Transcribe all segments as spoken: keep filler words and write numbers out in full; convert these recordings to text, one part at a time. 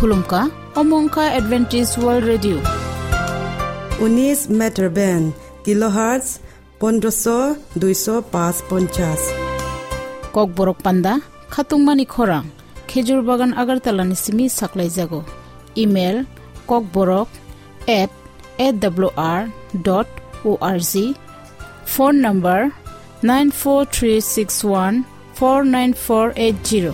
Khulumkha, omo wngkha Adventist World Radio. Unis meter band, kilohertz pondroso duiso pas ponchas. Kokborok panda, khatungmani khorang, Khejur Bagan Agartala ni simi saklaijago. Email, kokborok at A W R dot O R G. Phone number, nine four three six one four nine four eight zero.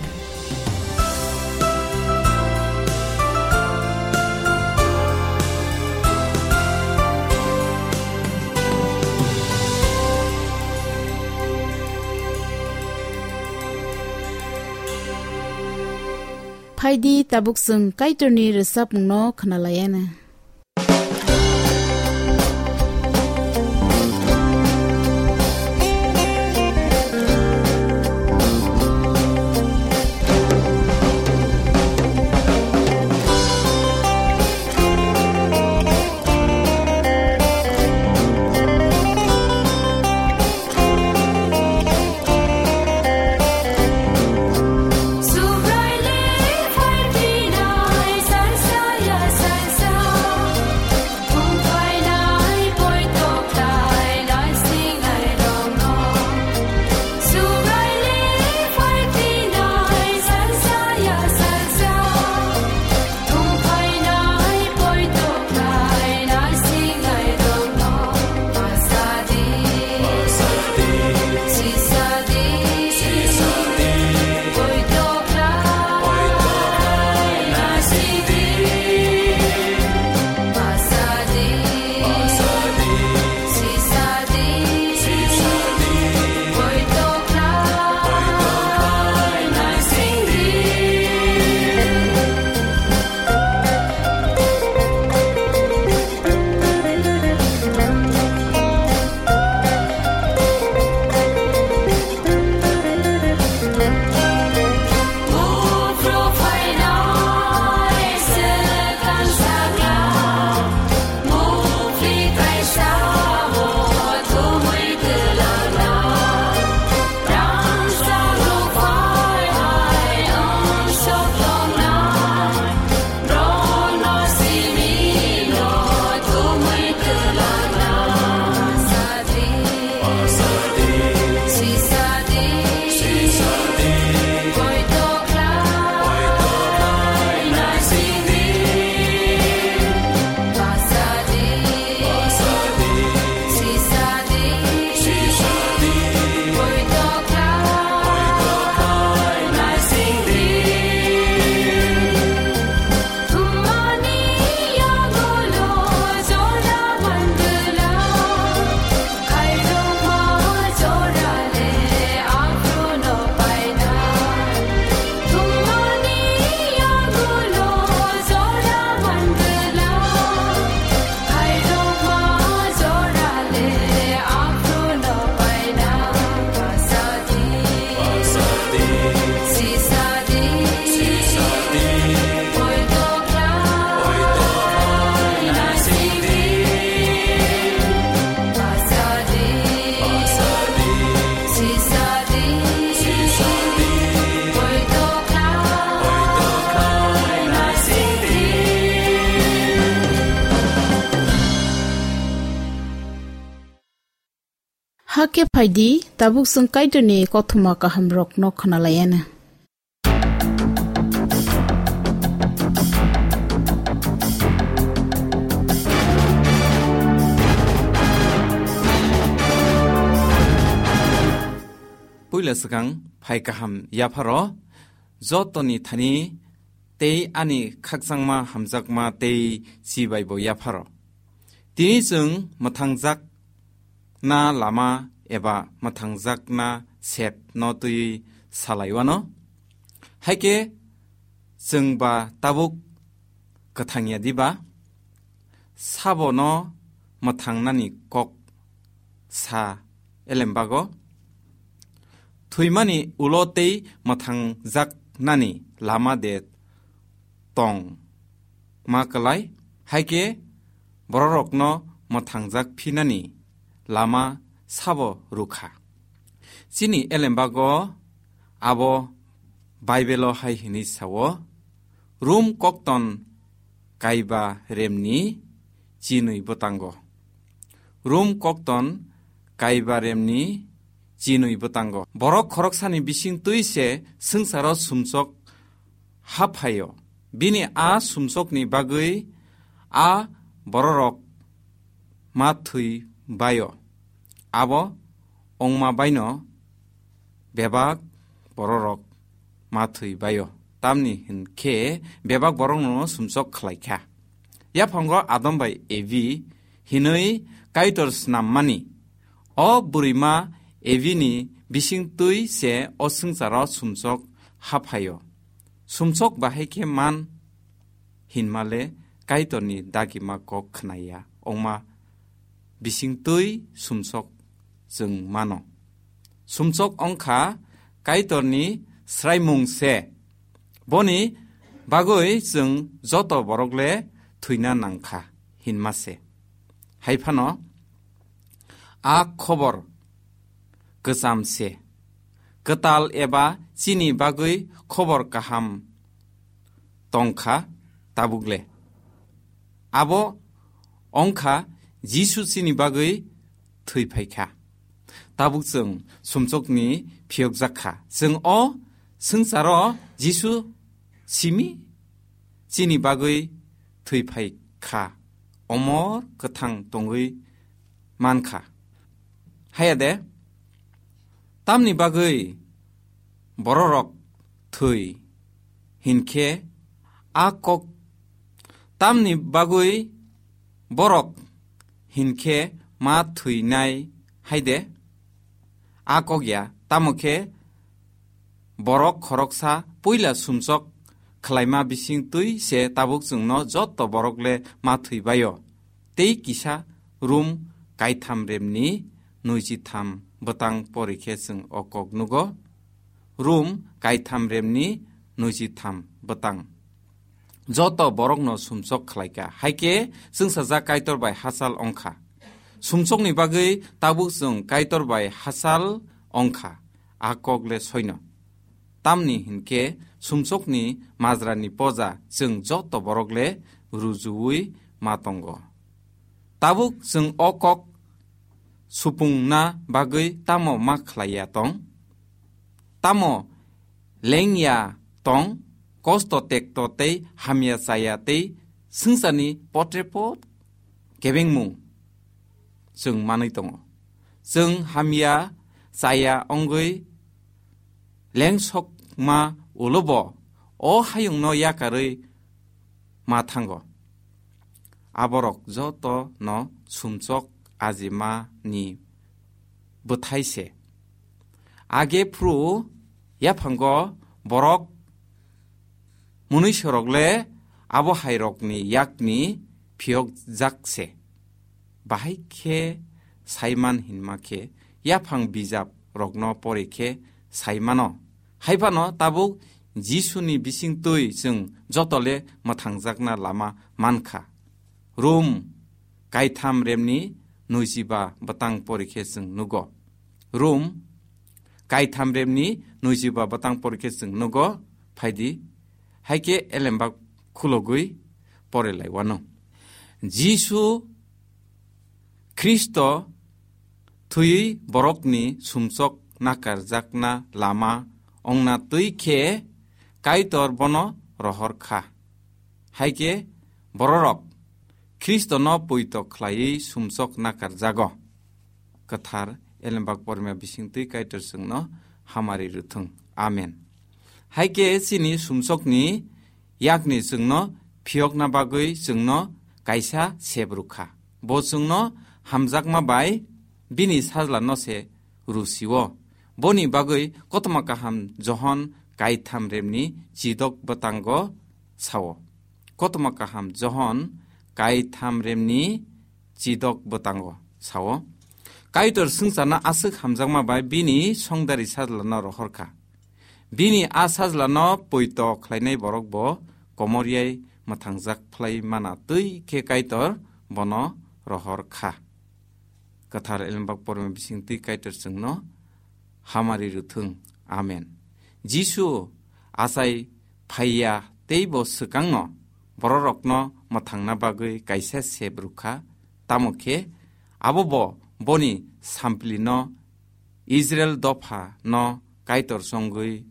Phaidi tabuk chwng Kaitorni rwchapmungno khwnalaiana. Hakhe phaidi, tabuk chwng Kaitorni kothoma kahamrokno khwnalaiana. Puila swkang phai kaham yapharo, jotoni thani tei ani khakchangma hamjakma tei chibaibo yapharo. Tini chwng mwthangjakna lama eba mwthangjakna sep no twi salaiwano. Haikhe chwng ba tabuk kwthang ya diba? Sabono mwthangnani kok sa elembago. Thwimani ulo tei mwthangjaknani lama de tong ma kwlai, haikhe bororokno mwthangjak phinani lama sabo rwkha. Chini elembago abo Baibelo hai hwnwi sao, Rum kokton kaiba remni chinwi bwtango. Rum kokton kaiba remni chinwi bwtango. Borok khoroksani bising twi se swngcharo sumsok haphaio. Bini a sumsokni bagwi a bororok ma thwi baio. Abo ongma baino bebak bororok ma thwi baio. Tamni hinkhe bebak borokno sumsok khlai kha. Yaphango Adam bai Evi hinwi Kaitor snammani. O bwrwima Evini bising twi se o swngcharo sumsok haphaio. Sumsok bahai khe man hinmale Kaitorni dagima kok khnaya. Ongma bising twi sumsok chwng mano. Sumsok ongkha Kaitorni sraimung se. Boni bagwi chwng joto borok le thwina nangkha hinma se. Hai phano a khobor kwcham se. Kwtal eba chini bagwi khobor kaham tongkha tabuk le. Abo ongkha Jisu chini bagwi thwi phaikha. Tabuk chwng sumsokni phiyokjak kha. Chwng o swngcharo Jisu simi chini bagwi thwi phai kha, omor kwthang tongwi man kha. Haya de, tamni bagwi bororok thwi hinkhe a kok, tamni bagwi borok hinkhe ma thwinai hai de? A kok ya, tamo khe borok khoroksa puila sumsok khlaima bising twi se tabuk chwngno joto borok le ma thwi baio. Tei kisa Rum kaitham remni nwiji tham bwtang pori khe chwng o kok nugo. Rum kaitham remni nwiji tham bwtang. Joto borokno sumsok khlai kha. Hai khe chwngsajak Kaitor bai hachal ongkha. Sumsokni bagwi tabuk chwng Kaitor bai hachal ongkha. A kok le soino. Tamni hinkhe sumsokni majrani poja chwng joto borok le rujuwi ma tongo. Tabuk chwng o kok supungna bagwi tamo ma khlaiya tong? Tamo lengya tong, kosto tekto tei hamya chaya tei swngcharni potrepot kebengmung chwng manwi tongo. Chwng hamya chaya wngwi lengsokma ulobo o hayungno yakarwi ma thango. Aborok joto no sumsok ajimani bwthai se. Age phru yaphango borok mwnwisorok le abo hairokni yakni phiyokjak se. Bahai khe saiman hinma khe yaphang bijap rokno pori khe saimano. Hai phano tabuk Jisuni bisingtwi chwng joto le mwthangjakna lama mankha. Rum kaitham remni nwijiba bwtang pori khe chwng nugo. Rum kaitham remni nwijiba bwtang pori khe chwng nugo. Phaidi, hai khe elembak khulogwi pore lai wano. Jisu Khristo thwiwi borokni sumsok nakarjakna lama wngna twi khe Kaitor bono rohor kha. Hai khe bororok Khristono poito khlaiwi sumsok nakarjago. Kwthar elembak porima bisingtwi Kaitor chwngno hamari rwthwng. Amen. Hai khe chini sumsokni yakni chwngno phiyokna bagwi chwngno kaisa sep rwkha. Bo chwngno hamjakma bai bini sajlano se rwsio. Boni bagwi Kothoma Kaham Johon kaitham remni chidok bwtango sao. Kothoma Kaham Johon kaitham remni chidok bwtango sao. Kaitor swngcharno aswk hamjakma bai bini songdari sajlano rohor kha. Bini a sajlano poito khlainai borok bo komor yai mwthangjak phlai mana twi khe Kaitor bono rohor kha. Kwthar elembak porima bisingtwi Kaitor chwngno hamari rwthwng. Amen. Jisu achai phaiya tei bo swkangno bororokno mwthangna bagwi kaisa sep rwkha, tamo khe abo bo boni samplino Israil dophano Kaitor chongwi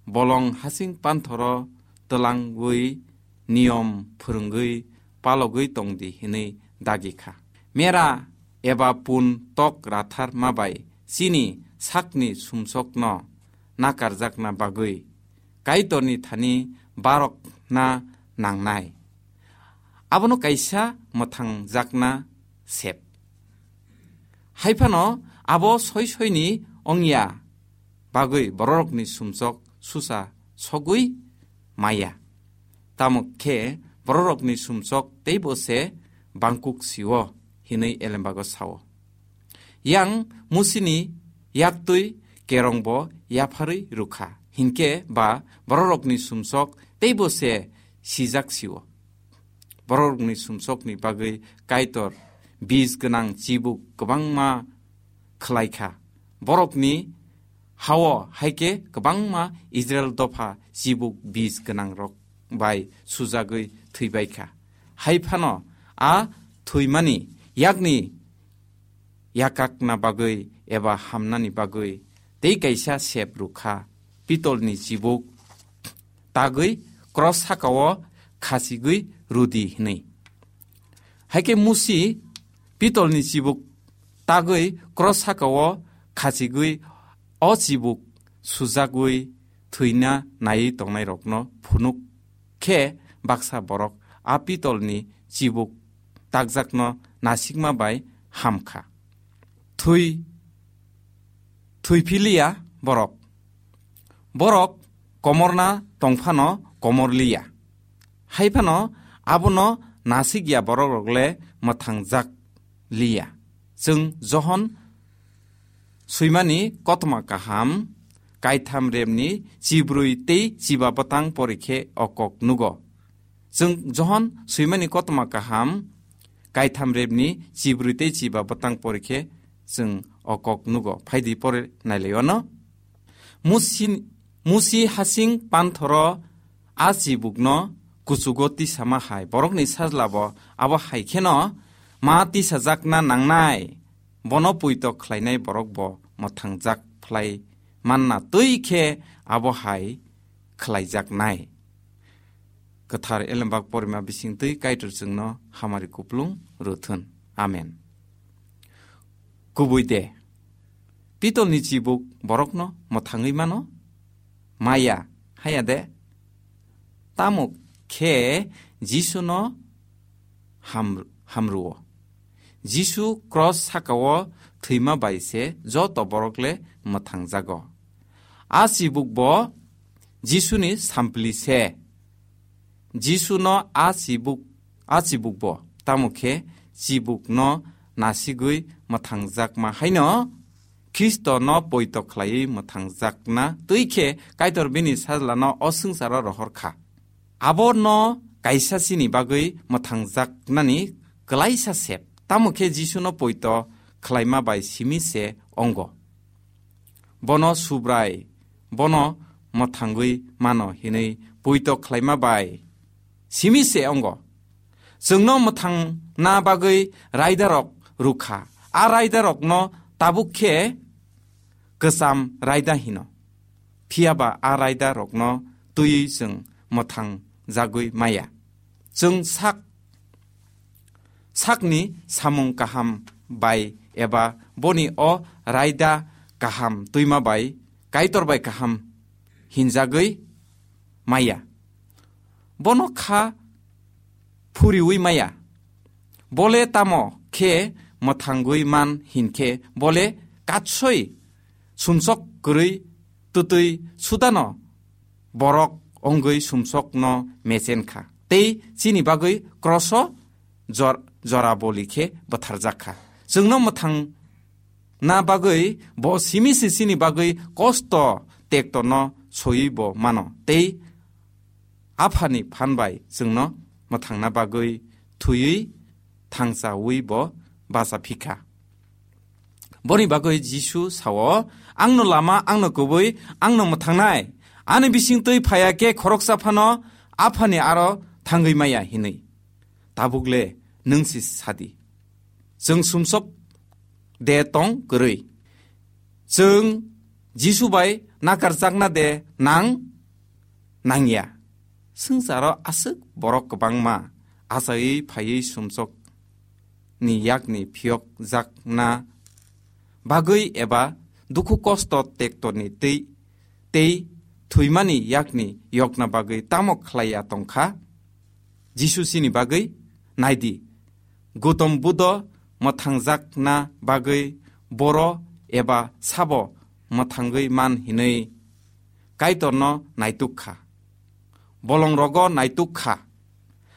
bolong hasing panthoro twlangwi niyom phwrwngwi palogwi tongdi hwnwi dagi kha. Mera eba pun tok rathar ma bai chini sakni sumsokno nakarjakna bagwi Kaitorni thani barokna nangnai. Abono kaisa mwthangjakna sep. Hai phano abo soi soini ongya bagwi bororokni sumsok susa sogwi maya. Tamo khe bororokni sumsok teibo se bangkuk sio, hinwi Elembago sao. Yang Musini yaktwi kerongbo yapharwi rwkha, hinkhe ba bororokni sumsok teibo se sijak sio. Bororokni sumsokni bagwi Kaitor bis gwnang chibuk kwbangma khlai kha. Borokni hao hai khe kwbangma Israil dopha chibuk bis gwnangrok bai sujagwi thwibai kha. Hai phano a thwimani yakni yakakna bagwi eba hamnani bagwi tei kaisa sep rwkha, pitolni chibuk tagwi kros sakao khachigwi rwdi hwnwi. Hai khe Musi pitolni chibuk tagwi kros sakao khachigwi o chibuk sujagwi thwina naiwi tongnairokno phunuk khe baksa borok a pitolni chibuk takjakno nasikma bai ham kha. Thwi, thwi philiya borok. Borok komorna tongphano komor liya. Hai phano abono nasikya borokrok le mwthangjak liya. Chwng Johon swimani kotoma kaham, kaitham remni chibrwi tei chiba bwtang porikhe o kok nugo. Chwng Johon swimani kotoma kaham, kaitham remni chibrwi tei chiba bwtang porikhe chwng o kok nugo. Phaidi pore nailai ono. Musi, Musi hasing panthoro a chibukno kuchugo tisama hai. Borokni sajlabo abo hai kheno ma tisajakna nangnai. Bono puito khlainai borok bo mwthangjak phlai manna twi khe abo hai khlaijaknai. Kwthar Elembak porima bisingtwi Kaitor chwngno hamari kuplung rwthun. Amen. Kubui de, pitolni chibuk borokno mwthangwi mano? Maya, haya de? Tamo khe Jisuno ham-, hamruo. Jisu kros sakao thwima bai se joto borok le mwthangjago. A chibuk bo Jisuni sampli se. Jisuno a chibuk, a chibuk bo, tamo khe chibukno nasigwi mwthangjakma haino Khristono poito khlaiwi mwthangjakna twi khe Kaitor bini sajlano o swngcharo rohor kha. Abono kaisa chini bagwi mwthangjaknani kwlaisa sep, tamo khe Jisuno poito khlaima bai simi se ongo. Bono Subrai, bono mwthangwi mano hinwi poito khlaima bai simi se ongo. Chwngno mwthangna bagwi raidarok rwkha. A raidarokno tabuk khe kwcham raida hino. Phiya ba a raidarokno twiwi chwng mwthang jagwi maya. Chwng sak, sakni samung kaham bai eba boni o raida kaham twima bai, Kaitor bai kaham hinjagwi maya. Bono kha phuriwi maya. Bole tamo khe mwthangwi man hinkhe bole katsoi sumsok kwrwi twtwi sudano borok ongwi sumsokno mechen kha. Tei chini bagwi kroso jor-, jora boli khe bwtharjak kha. Chwngno mwthang na bagwi bo simi se chini bagwi kosto tektono soiwi bo mano. Tei Aphani phan bai chwngno mwthangna bagwi thwiwi thangchawi bo bacha phikha. Boni bagwi Jisu sao, "Angno lama, angno kubui, angno mwthangnai. Ani bisingtwi phaiya khe khoroksa phano Aphani aro thangwi maya hinwi. Tabukle nwng si sadi. Chwng sumsok de tong kwrwi. Chwng Jisu bai nakarjakna de nang nangya. Swngcharo aswk borok kwbangma achaiwi phaiwi sumsok ni yakni phiyokjakna bagwi eba dukhu kosto tektorni tei, tei thwimani yakni yokna bagwi tamo khlaiya tongkha? Jisu chini bagwi naidi, Gautam Buddha mwthangjakna bagwi boro eba sabo mwthangwi man hinwi Kaitorno naituk kha. Bolongrogo naituk kha.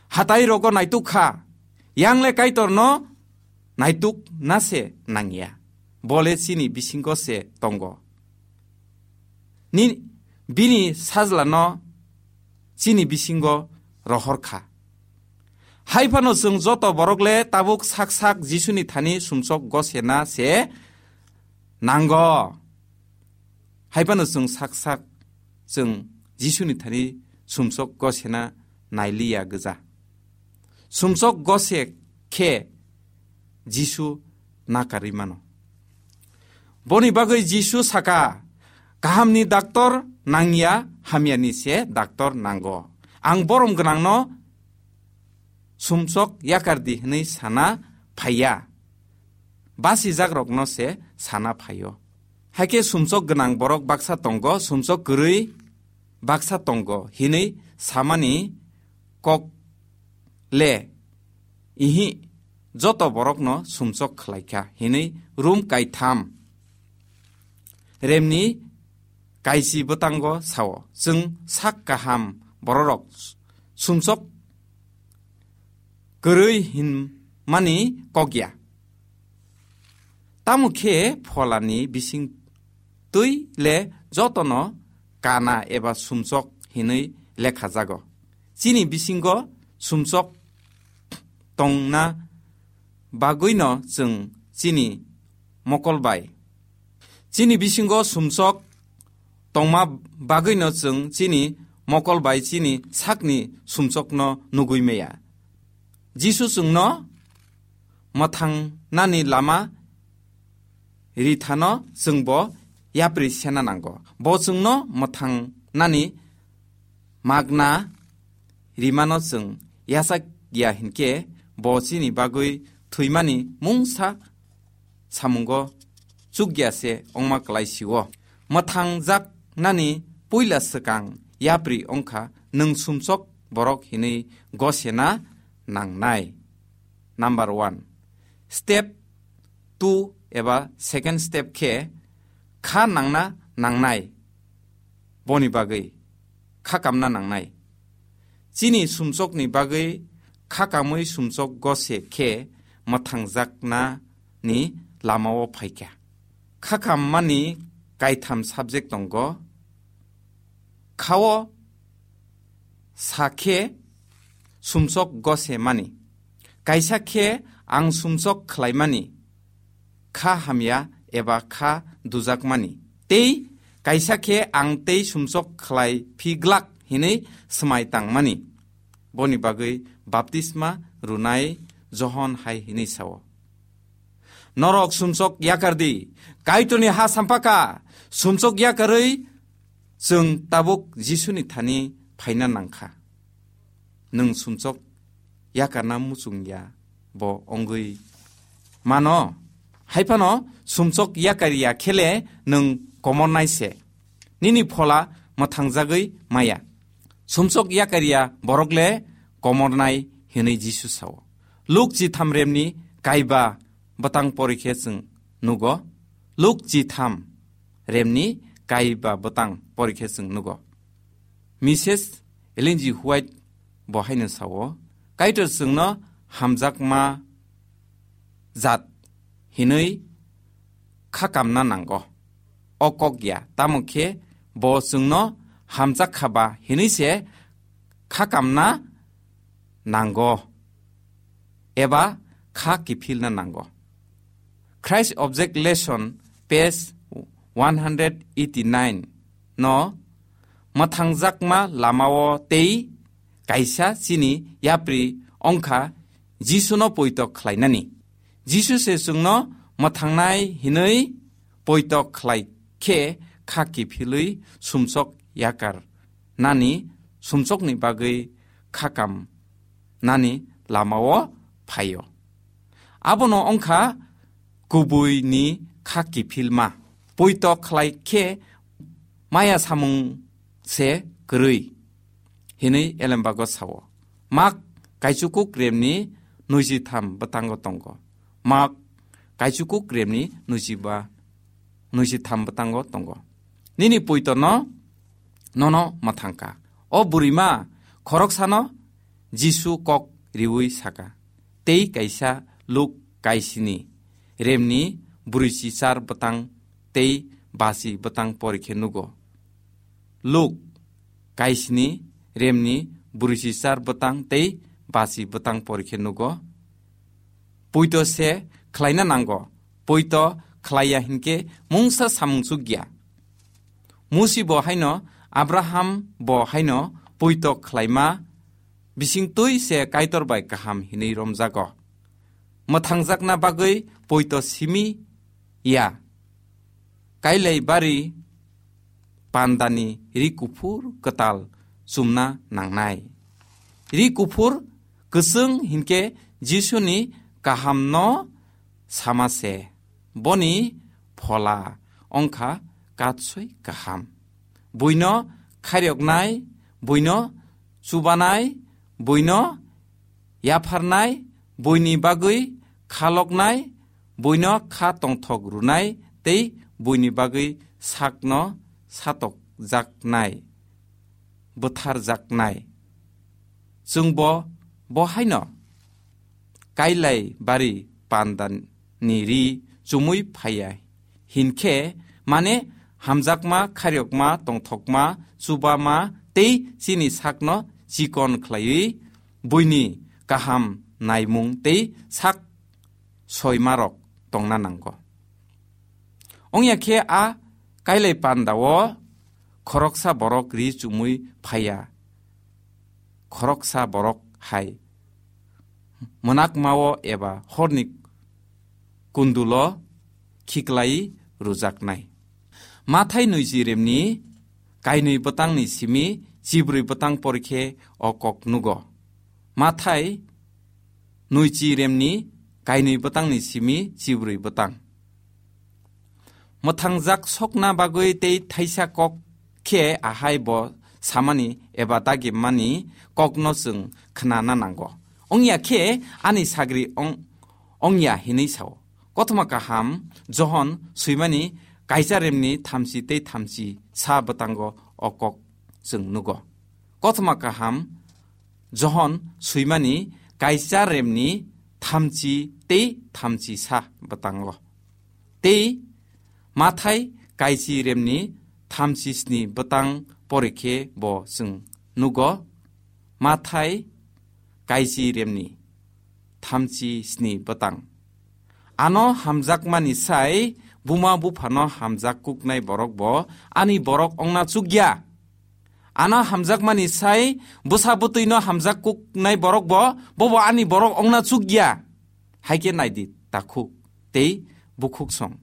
Hatai rogo naituk kha. Yangle Kaitorno naituk na se nangya. Bole chini bisingo se tongo. Ni, bini sajlano chini bisingo rohor kha. Hai phano chwng joto borok le tabuk sak sak Jisuni thani sumsok gosena se nango. Hai phano chwng sak sak chwng Jisuni thani sumsok gosena nailiya gwja. Sumsok gose khe Jisu nakarwi mano. Boni bagwi Jisu saka, "Kahamni daktor nangya, hamyani se daktor nango. Ang borom gwnangno sumsok yakar di," hwnwi sana phaiya. Basijakrokno se sana phaio. Haikhe sumsok gwnang borok baksa tongo, sumsok kwrwi baksa tongo hinwi samani kok le, ihi, joto borokno sumsok khlaikha hinwi Rom kaitham remni kaisi bwtango sao. Chwng sak kaham bororok sumsok kwrwi hinmani kok ya. Tamo khe pholani bising twi le jotono kana eba sumsok hinwi lekha jago. Chini bisingo sumsok tongna bagwino chwng chini mokol bai. Chini bisingo sumsok tongma bagwino chwng chini mokol bai chini sakni sumsokno nugwi maya. Jisu chwngno mwthangnani lama rithano chwngbo yapri sena nango. Bo chwngno mwthangnani magna rimano chwng yachak ya hinkhe bo chini bagwi thwimani mungsa samungo chukya se ongma kwlai sio. Mwthangjaknani puila swkang yapri ongkha nwng sumsok borok hinwi gosena nangnai. Number one. Step two eba second step khe kha nangna nangnai. Boni bagwi kha kamna nangnai. Chini sumsokni bagwi kha kamwi sumsok gose khe mwthangjaknani lamao phaikha. Kha kammani kaitham subject tongo. Khao sa khe sumsok gose mani. Kaisa khe ang sumsok khlaimani, kha hamya eba kha dujakmani. Tei kaisa khe ang tei sumsok khlai phi glak hinwi swmai tangmani. Boni bagwi baptisma runai Johon hai hinwi sao, "Norok sumsok yakar di, Kaitorni ha sampaka, sumsok yakarwi chwng tabuk Jisuni thani phaina nangkha." Nwng sumsok yakarna muchung ya bo ongwi mano. Hai phano sumsok yakar ya khe le nwng komornai se. Nini phola mwthangjagwi maya. Sumsok yakar ya borok le komornai hinwi Jisu sao. Luk chitham remni kaiba bwtang pori khe chwng nugo. Luk chitham remni kaiba bwtang pori khe chwng nugo. Missus Ellen G. White bo haino sao, "Kaitor chwngno hamjakma jat hinwi kha kamna nango." O kok ya, tamo khe bo chwngno hamjak kha ba hinwi se kha kamna nango eba kha kiphilna nango. Christ Object Lesson, page one hundred eighty-nine no mwthangjakma lamao tei kaisa chini yapri ongkha Jisuno poito khlainani. Jisu se chwngno mwthangnai hinwi poito khlai khe kha kiphilwi sumsok yakar nani sumsokni bagwi khakam nani lamao phaio. Abono ongkha kubuini kha kiphilma. Poito khlai khe maya samung se kwrwi hinwi elembago sao. Mak kaichukuk remni nuijitham bwtango tongo. Mak kaichukuk remni nuijiba, nuijitham bwtango tongo. Nini poitono nono mwthangkha. O burima khoroksano Jisu kok riwi saka. Tei kaisa Luk kaisini remni brwichi char bwtang tei basi bwtang porikhe nugo. Luk kaisini remni brwichi char bwtang tei basi bwtang porikhe nugo. Poito se khlaina nango. Poito khlaiya hinkhe mungsa samung chukya. Musi bo haino, Abraham bo haino poito khlaima bisingtwi se Kaitor bai kaham hinwi romjago. Mwthangjakna bagwi poito simi ya. Kailai bari pandani ri kuphur kwtal chumna nangnai. Ri kuphur kwchwng hinkhe Jisuni kahamno sama se. Boni phola ongkha katswi kaham. Buino khairoknai, buino chubanai, buino yapharnai, buini bagwi khaloknai, buino kha tongthok rwnai tei buini bagwi sakno satokjaknai, bwtharjaknai. Chwngbo bo haino kailai bari pandani ri chumui phaiya hinkhe, mane hamjakma, khairokma, tongthokma, chubama tei chini sakno chikon khlaiwi buini kaham naimung tei sak soimarok tongna nango. Ongya khe a kailai pandao khoroksa borok ri chumui phaiya, khoroksa borok hai mwnakmao eba horni kundulo khiklai rwjaknai. Mathai nuichi remni kainwi bwtangni simi chibrwi bwtang porikhe o kok nugo. Mathai nuichi remni kainwi bwtangni simi chibrwi bwtang. Mwthangjak sokna bagwi tei thaisa kok khe ahai bo samani eba dagimani kokno chwng khnana nango. Ongya khe ani sagri ong-, ongya hinwi sao. Kothoma kaham Johon swimani kaisa remni thamchi tei thamchi sa bwtango o kok chwng nugo. Kothoma kaham Johon swimani kaisa remni thamchi tei thamchi sa bwtango. Tei Mathai kaisi remni thamchi sni bwtang porikhe bo chwng nugo. Mathai kaisi remni thamchi sni bwtang. Ano hamjakmani sai buma buphano hamjak kuknai borok bo ani borok ongna chukya. Ano hamjakmani sai bwsa bwtwino hamjak kuknai borok bo, bobo ani borok ongna chukya. Haikhe naidi takhuk tei bukhuk song.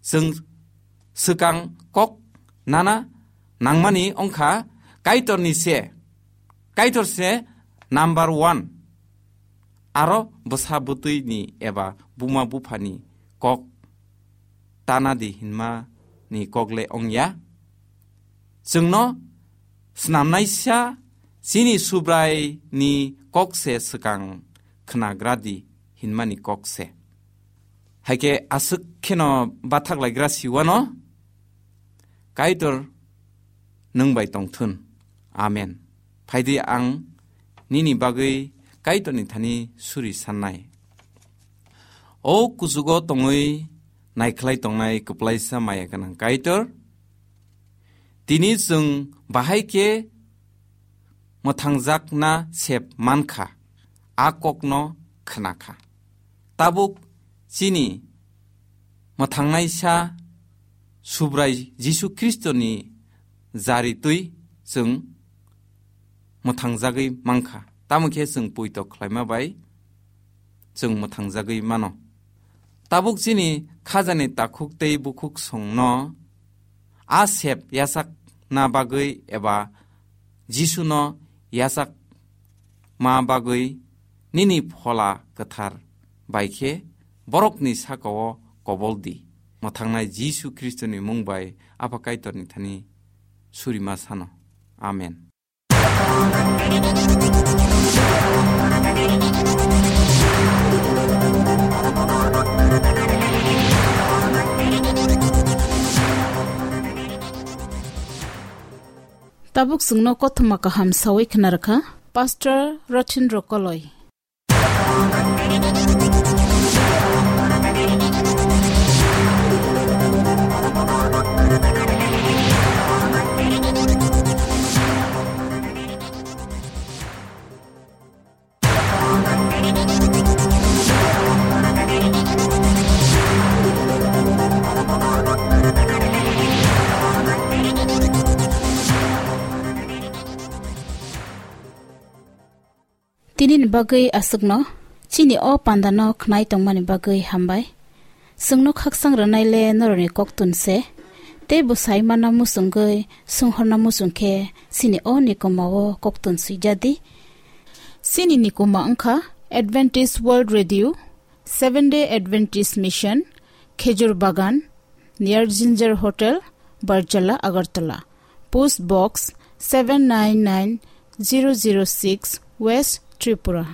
Chwng swkang kok nana nangmani ongkha Kaitorni se. Kaitor se number one. Aro bwsa bwtwini eba buma buphani kok tanadi hinmani kok le ongya. Chwngno snamnaisa chini Subraini kok se swkang khnagradi hinmani kok se. Haikhe aswk kheno bathaklaigra siwano, Kaitor nwng bai tongthun. Amen. Phaidi ang nini bagwi Kaitorni thani suri sannai. O kuchugo tongwi naikhlai tongnai kwplaisa maya gwnang Kaitor, tini chwng bahai khe mwthangjakna sep mankha, a kokno khnakha. Tabuk chini mwthangnaisa Subrai Jisu Khristoni jaritwi chwng mwthangjagwi mankha. Tamo khe chwng poito khlaima bai chwng mwthangjagwi mano. Tabuk chini khajani takhuk tei bukhuk songno a sep yachakna bagwi eba Jisuno yachakma bagwi nini Phola Kwthar bai khe borokni saka-o kobol di. Mwthangnai Jisu Khristoni mung bai Apha Kaitorni thani surima sano. Amen. Tabuk chwngno kothoma kaham sawi khna rwkha Pastor Rothin Rokoloi. Tinini bagwi aswkno chini o pandano khnai tongmani bagwi hambai. Chwngno khaksang rwnai le norokni koktun se, tei bwsai manna muchungwi swnghorna muchung khe chini o nikomao koktun swijadi. Chini nikoma wngkha Adventist World Radio, Seven Day Adventist Mission, Khejur Bagan, near Ginger Hotel, Barjala, Agartala. Post Box seven nine nine zero zero six, West Tripura.